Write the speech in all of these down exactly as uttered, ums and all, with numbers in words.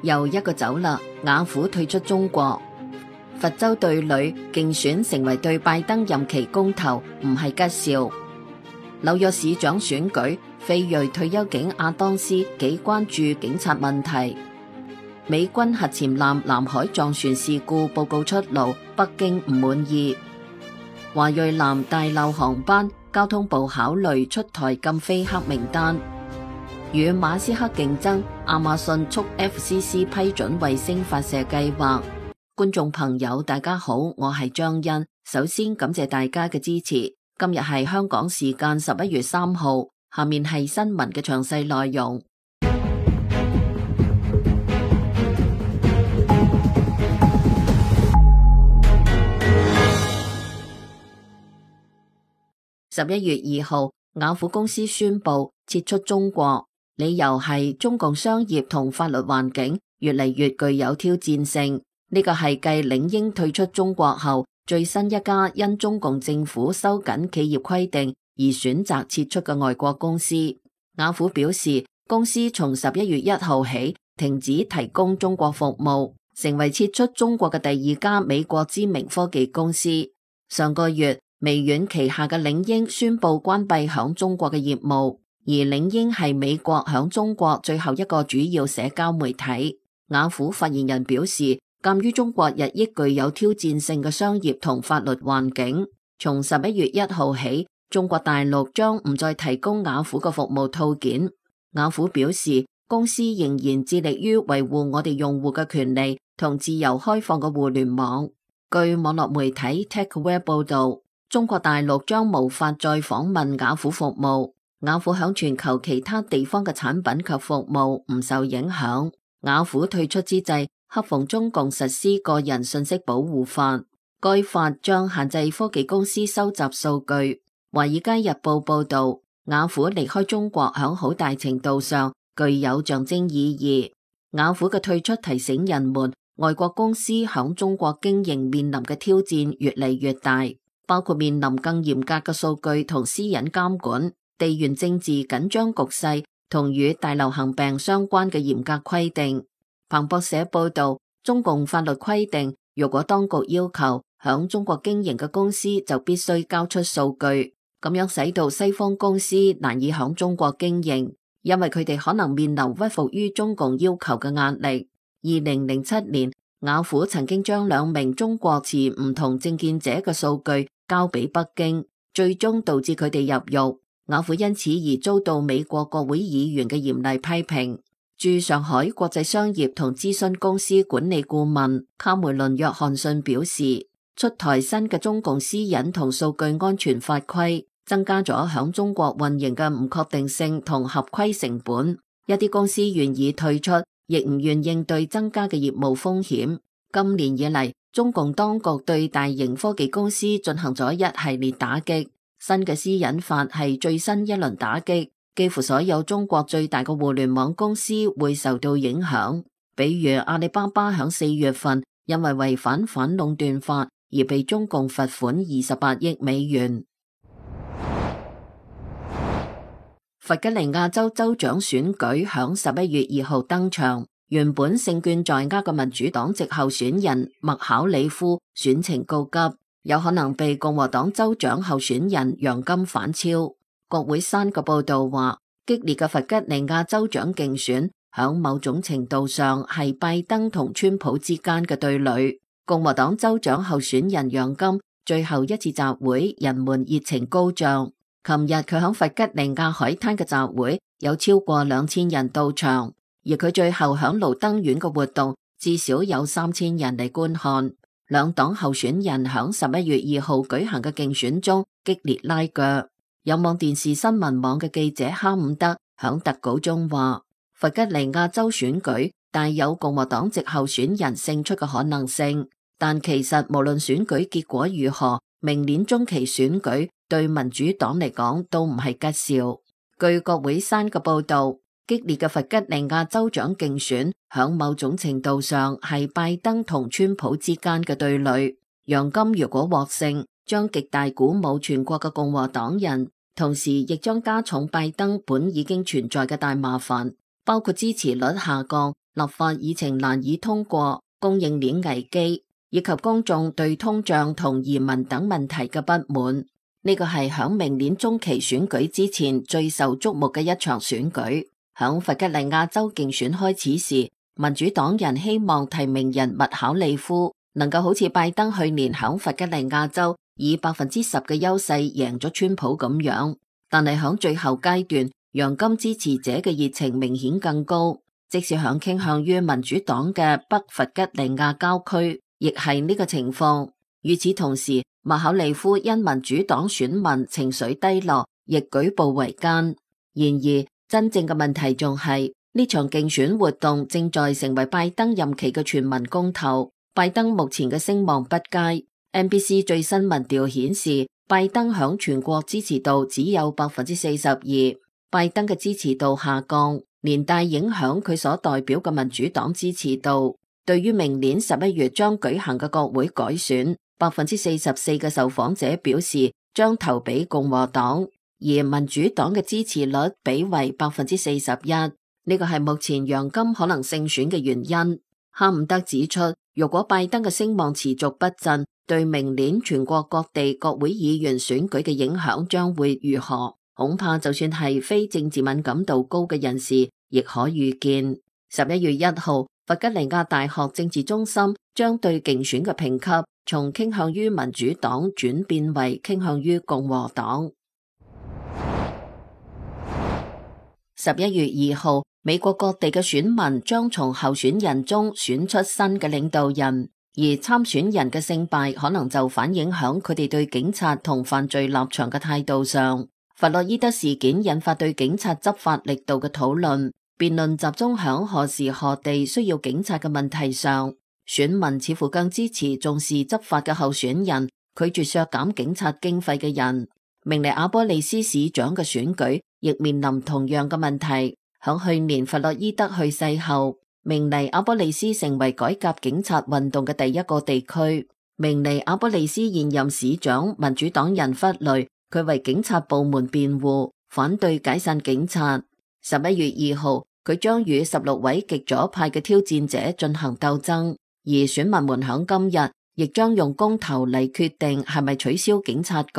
又一個走啦，雅虎退出中國。佛州對壘競選成為對拜登任期公投，唔係吉兆。紐約市長選舉，非裔退休警阿當斯幾關注警察問題。美軍核潛艦南海撞船事故報告出爐，北京唔滿意。華裔男大漏航班，交通部考慮出台禁飛黑名單。與馬斯克競爭，亞馬遜促 F C C 批准衛星發射計劃。觀眾朋友大家好，我係張欣，首先感謝大家嘅支持。今日係香港時間十一月三號，下面係新聞嘅詳細內容。十一月二號，雅虎公司宣布撤出中國，理由係中共商業同法律環境越嚟越具有挑戰性。呢個係繼領英退出中國後，最新一家因中共政府收緊企業規定而選擇撤出嘅外國公司。雅虎表示，公司從十一月一號起停止提供中國服務，成為撤出中國嘅第二家美國知名科技公司。上個月，微軟旗下嘅領英宣布關閉響中國嘅業務，而領英係美國響中國最後一個主要社交媒體。雅虎發言人表示，鑒於中國日益具有挑戰性嘅商業同法律環境，從十一月一號起，中國大陸將唔再提供雅虎嘅服務套件。雅虎表示，公司仍然致力於維護我哋用戶嘅權利同自由開放嘅互聯網。據網絡媒體 TechWare 報道，中國大陸將無法再訪問雅虎服務，雅虎響全球其他地方嘅產品及服務唔受影響。雅虎退出之際，恰逢中共實施個人信息保護法，該法將限制科技公司收集數據。華爾街日報報道，雅虎離開中國響好大程度上具有象徵意義。雅虎嘅退出提醒人們，外國公司響中國經營面臨嘅挑戰越嚟越大，包括面臨更嚴格嘅數據同私隱監管、地緣政治緊張局勢同與大流行病相關嘅嚴格規定。彭博社報道，中共法律規定，如果當局要求響中國經營嘅公司就必須交出數據，咁樣使到西方公司難以響中國經營，因為佢哋可能面臨屈服於中共要求嘅壓力。二零零七年，雅虎曾經將兩名中國持唔同政見者嘅數據交俾北京，最終導致佢哋入獄。雅虎因此而遭到美國國會議員嘅嚴厲批評。駐上海國際商業同諮詢公司管理顧問卡梅倫約翰遜表示，出台新嘅中共私隱同數據安全法規，增加咗響中國運營嘅唔確定性同合規成本。一啲公司願意退出，亦唔願應對增加嘅業務風險。今年以嚟，中共當局對大型科技公司進行咗一系列打擊，新嘅私隱法係最新一輪打擊。幾乎所有中國最大嘅互聯網公司會受到影響，比如阿里巴巴響四月份因為違反反壟斷法而被中共罰款二十八億美元。弗吉尼亞州州長選舉響十一月二號登場，原本勝券在握嘅民主黨籍候選人麥考里夫選情告急，有可能被共和黨州長候選人楊金反超。國會山嘅報道話，激烈嘅弗吉尼亞州長競選響某種程度上係拜登同川普之間嘅對壘。共和黨州長候選人楊金最後一次集會，人們熱情高漲。琴日佢響弗吉尼亞海灘嘅集會有超過兩千人到場，而佢最後響盧登縣嘅活動至少有三千人嚟觀看。兩黨候選人響十一月二號舉行嘅競選中激烈拉鋸。有網電視新聞網嘅記者哈伍德響特稿中話，弗吉尼亞州選舉帶有共和黨籍候選人勝出嘅可能性，但其實無論選舉結果如何，明年中期選舉對民主黨嚟講都唔係吉兆。據國會山嘅報道，激烈嘅弗吉尼亞州長競選響某種程度上係拜登同川普之間嘅對壘。楊金如果獲勝，將極大鼓舞全國嘅共和黨人，同時亦將加重拜登本已經存在嘅大麻煩，包括支持率下降立法議程難以通過、供應鏈危機以及公眾對通脹同移民等問題嘅不滿。呢個係響明年中期選舉之前最受矚目嘅一場選舉。響弗吉尼亞州競選開始時，民主黨人希望提名人麥考利夫能夠好似拜登去年響弗吉尼亞州以百分之十嘅優勢贏咗川普咁樣，但係響最後階段，楊金支持者嘅熱情明顯更高，即使響傾向於民主黨嘅北弗吉尼亞郊區，亦係呢個情況。與此同時，麥考利夫因民主黨選民情緒低落，亦舉步維艱。然而，真正嘅問題仲係呢場競選活動正在成為拜登任期嘅全民公投。拜登目前嘅聲望不佳。N B C 最新民調顯示，拜登響全國支持度只有百分之四十二。拜登嘅支持度下降，連帶影響佢所代表嘅民主黨支持度。對於明年十一月將舉行嘅國會改選，百分之四十四嘅受訪者表示將投俾共和黨，而民主黨嘅支持率比為百分之四十一。呢個係目前楊金可能勝選嘅原因。哈姆德指出，如果拜登嘅聲望持續不振，對明年全國各地國會議員選舉嘅影響將會如何？恐怕就算係非政治敏感度高嘅人士，亦可預見。十一月一號，弗吉尼亞大學政治中心將對競選嘅評級從傾向於民主黨轉變為傾向於共和黨。十一月二號，美國各地嘅選民將從候選人中選出新嘅領導人，而參選人嘅勝敗可能就反映響佢哋對警察同犯罪立場嘅態度上。弗洛伊德事件引發對警察執法力度嘅討論，辯論集中響何時何地需要警察嘅問題上。選民似乎更支持重視執法嘅候選人，拒絕削減警察經費嘅人。明尼阿波利斯市長嘅選舉亦面臨同樣嘅問題。響去年弗洛伊德去世後，明尼阿波利斯成為改革警察運動嘅第一個地區。明尼阿波利斯現任市長民主黨人弗雷，佢為警察部門辯護，反對解散警察。十一月二號，佢將與十六位極左派嘅挑戰者進行鬥爭，而選民們響今日亦將用公投嚟決定係咪取消警察局，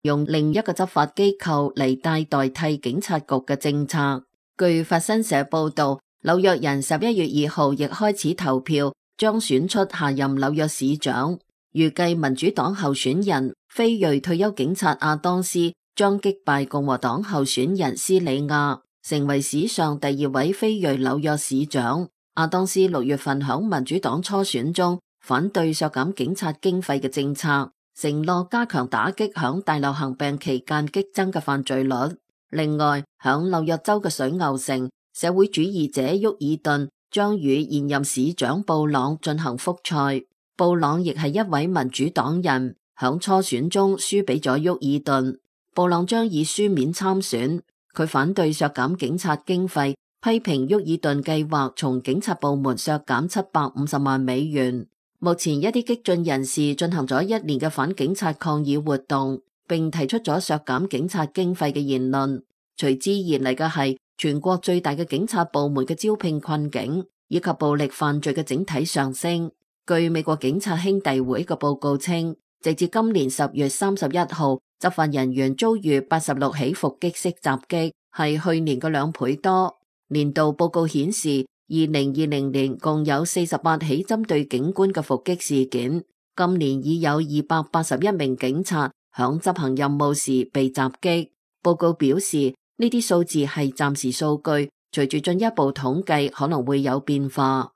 用另一個執法機構嚟代代替警察局嘅政策。據法新社報道，紐約人十一月二號亦開始投票，將選出下任紐約市長。預計民主黨候選人非裔退休警察亞當斯將擊敗共和黨候選人斯里亞，成為史上第二位非裔紐約市長。亞當斯六月份響民主黨初選中反對削減警察經費嘅政策，承諾加強打擊響大流行病期間激增嘅犯罪率。另外，響紐約州嘅水牛城，社會主義者沃爾頓將與現任市長布朗進行複賽。布朗亦係一位民主黨人，響初選中輸俾咗沃爾頓。布朗將以書面參選，佢反對削減警察經費，批評沃爾頓計劃從警察部門削減七百五十萬美元。目前一啲激進人士進行咗一年嘅反警察抗議活動，並提出咗削減警察經費嘅言論。隨之而嚟嘅係全國最大嘅警察部門嘅招聘困境，以及暴力犯罪嘅整體上升。據美國警察兄弟會嘅報告稱，直至今年十月三十一號，執法人員遭遇八十六起伏擊式襲擊，係去年嘅兩倍多。年度報告顯示，二零二零年共有四十八起針對警官嘅伏擊事件，今年已有二百八十一名警察響執行任務時被襲擊。報告表示，呢啲數字係暫時數據，隨住進一步統計可能會有變化。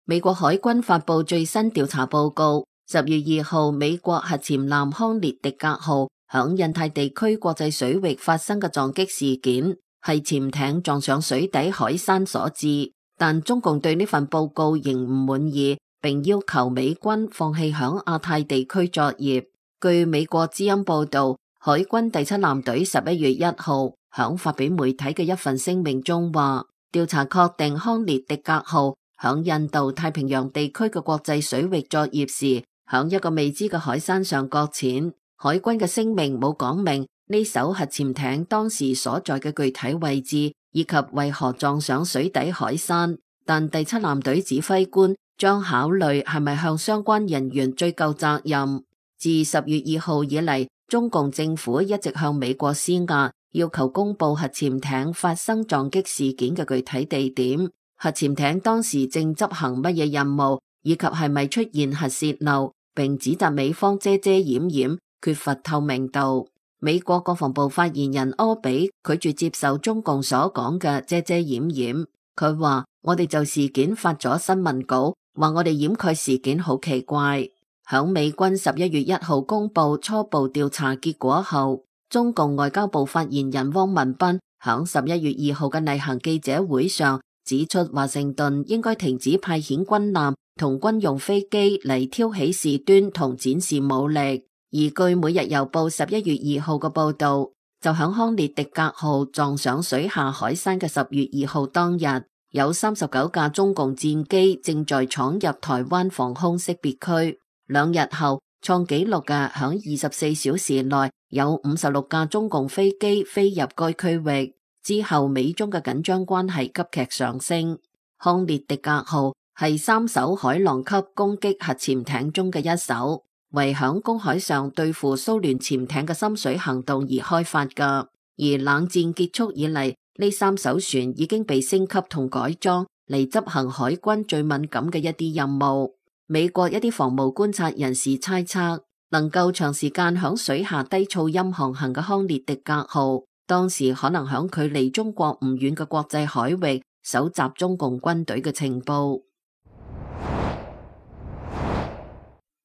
美國海軍發佈最新調查報告，十月二號，美國核潛艦康列狄格號響印太地區國際水域發生嘅撞擊事件，係潛艇撞上水底海山所致。但中共對呢份報告仍唔滿意，並要求美軍放棄響亞太地區作業。據美國之音報道，海軍第七艦隊十一月一號響發俾媒體嘅一份聲明中話，調查確定康列狄格號響印度太平洋地區嘅國際水域作業時，響一個未知嘅海山上擱淺。海軍嘅聲明冇講明呢艘核潛艇當時所在嘅具體位置，以及為何撞上水底海山，但第七艦隊指揮官將考慮係咪向相關人員追究責任。自十月二號以嚟，中共政府一直向美國施壓，要求公布核潛艇發生撞擊事件嘅具體地點、核潛艇當時正執行乜嘢任務，以及係咪出現核洩漏，並指責美方遮遮掩掩，缺乏透明度。美國國防部發言人柯比拒絕接受中共所講嘅遮遮掩掩，佢話：我哋就事件發咗新聞稿，話我哋掩蓋事件好奇怪。響美軍十一月一號公布初步調查結果後，中共外交部發言人汪文斌響十一月二號嘅例行記者會上指出，華盛頓應該停止派遣軍艦同軍用飛機嚟挑起事端同展示武力。而據每日郵報十一月二號嘅報道，就響康列迪格號撞上水下海山嘅十月二號當日，有三十九架中共戰機正在闖入台灣防空識別區。兩日後，創紀錄嘅響二十四小時內有五十六架中共飛機飛入該區域。之後，美中嘅緊張關係急劇上升。康列迪格號係三艘海狼級攻擊核潛艇中嘅一艘，為響公海上對付蘇聯潛艇嘅深水行動而開發㗎。而冷戰結束以嚟，呢三艘船已經被升級同改裝嚟執行海軍最敏感嘅一啲任務。美國一啲防務觀察人士猜測，能夠長時間響水下低噪音航行嘅康列迪格號，當時可能響距離中國唔遠嘅國際海域搜集中共軍隊嘅情報。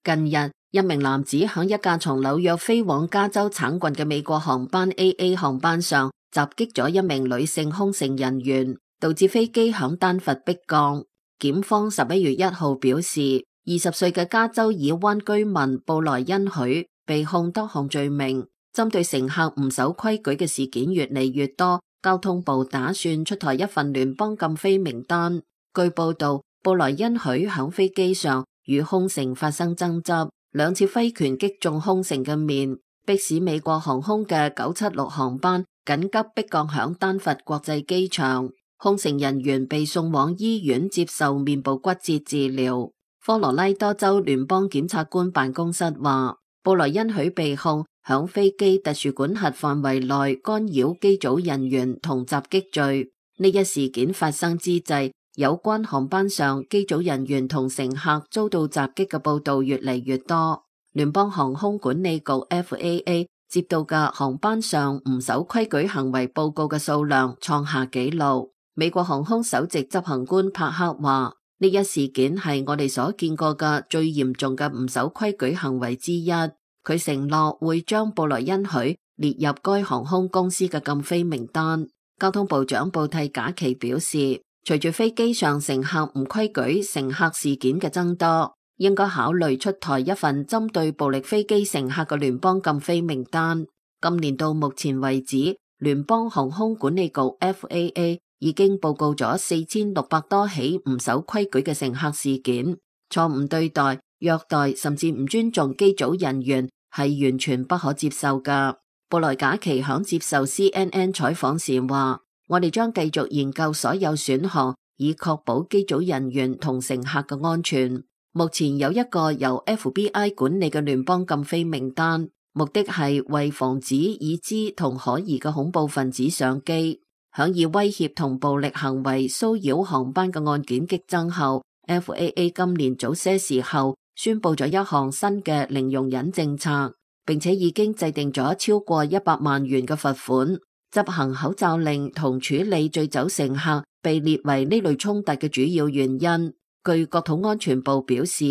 近日，一名男子響一架從紐約飛往加州橙郡嘅美國航班 A A 航班上襲擊咗一名女性空乘人員，導致飛機響丹佛迫降。檢方十一月一號表示，二十歲嘅加州爾灣居民布萊恩許被控多項罪名。針對乘客唔守規矩嘅事件越嚟越多，交通部打算出台一份聯邦禁飛名單。據報道，布萊恩許響飛機上與空乘發生爭執，兩次揮拳擊中空乘嘅面，迫使美國航空嘅九七六航班緊急迫降響丹佛國際機場。空乘人員被送往醫院接受面部骨折治療。科羅拉多州聯邦檢察官辦公室話，布萊恩許被控響飛機特殊管轄範圍內干擾機組人員同襲擊罪。呢一事件發生之際，有關航班上機組人員同乘客遭到襲擊嘅報道越嚟越多。聯邦航空管理局 F A A 接到嘅航班上唔守規矩行為報告嘅數量創下紀錄。美國航空首席執行官帕克話，呢一事件係我哋所見過嘅最嚴重嘅唔守規矩行為之一。佢承諾會將布萊恩許列入該航空公司嘅禁飛名單。交通部長布蒂賈奇表示，隨住飛機上乘客唔規矩乘客事件嘅增多，應該考慮出台一份針對暴力飛機乘客嘅聯邦禁飛名單。今年到目前為止，聯邦航空管理局 F A A 已經報告咗四千六百多起唔守規矩嘅乘客事件，錯誤對待、虐待甚至唔尊重機組人員係完全不可接受㗎。布萊賈奇響接受 C N N 採訪時話，我哋將繼續研究所有選項，以確保機組人員同乘客嘅安全。目前有一個由 F B I 管理嘅聯邦禁飛名單，目的係為防止已知同可疑嘅恐怖分子上機。響以威脅同暴力行為騷擾航班嘅案件激增後， F A A 今年早些時候宣布咗一項新嘅零容忍政策，並且已經制定咗超過一百萬元嘅罰款。執行口罩令同處理醉酒乘客被列為呢類衝突嘅主要原因。據國土安全部表示，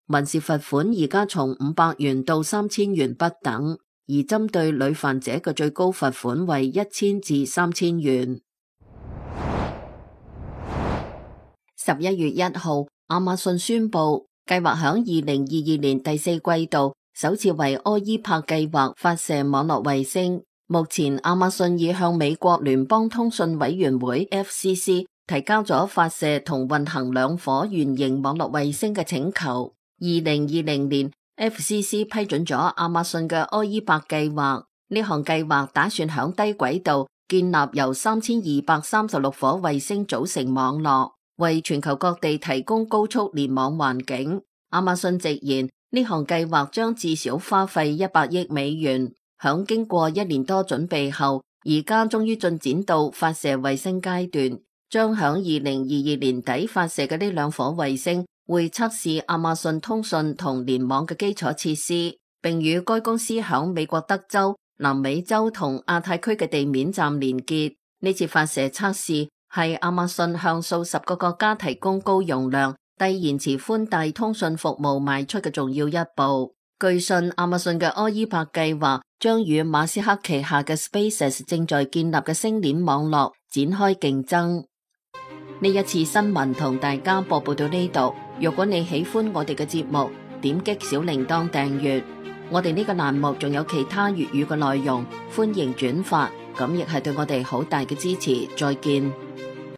民事罰款而家從五百元到三千元不等。而針對屢犯者嘅最高罰款為一千至三千元。十一月一號，亞馬遜宣布計劃響二零二二年第四季度首次為柯伊帕計劃發射網絡衛星。目前，亞馬遜已向美國聯邦通訊委員會 F C C 提交咗發射同運行兩顆圓形網絡衛星嘅請求。二零二零年F C C 批准咗亞馬遜嘅柯伊帕計劃，呢項計劃打算響低軌道建立由三千二百三十六顆衛星組成網絡，為全球各地提供高速聯網環境。亞馬遜直言，呢項計劃將至少花費一百億美元。響經過一年多準備後，而家終於進展到發射衛星階段。將響二零二二年底發射嘅呢兩顆衛星，會測試亞馬遜通訊同聯網嘅基礎設施，並與該公司響美國德州、南美洲同亞太區嘅地面站連結。呢次發射測試係亞馬遜向數十個國家提供高容量、低延遲寬帶通訊服務邁出嘅重要一步。據信，亞馬遜嘅柯伊伯計劃將與馬斯克旗下嘅 SpaceX 正在建立嘅星鏈網絡展開競爭。呢一次新聞同大家播報到呢度。如果你喜歡我哋嘅節目，點擊小鈴鐺訂閱。我哋呢個欄目仲有其他粵語嘅內容，歡迎轉發，咁亦係對我哋好大嘅支持。再見。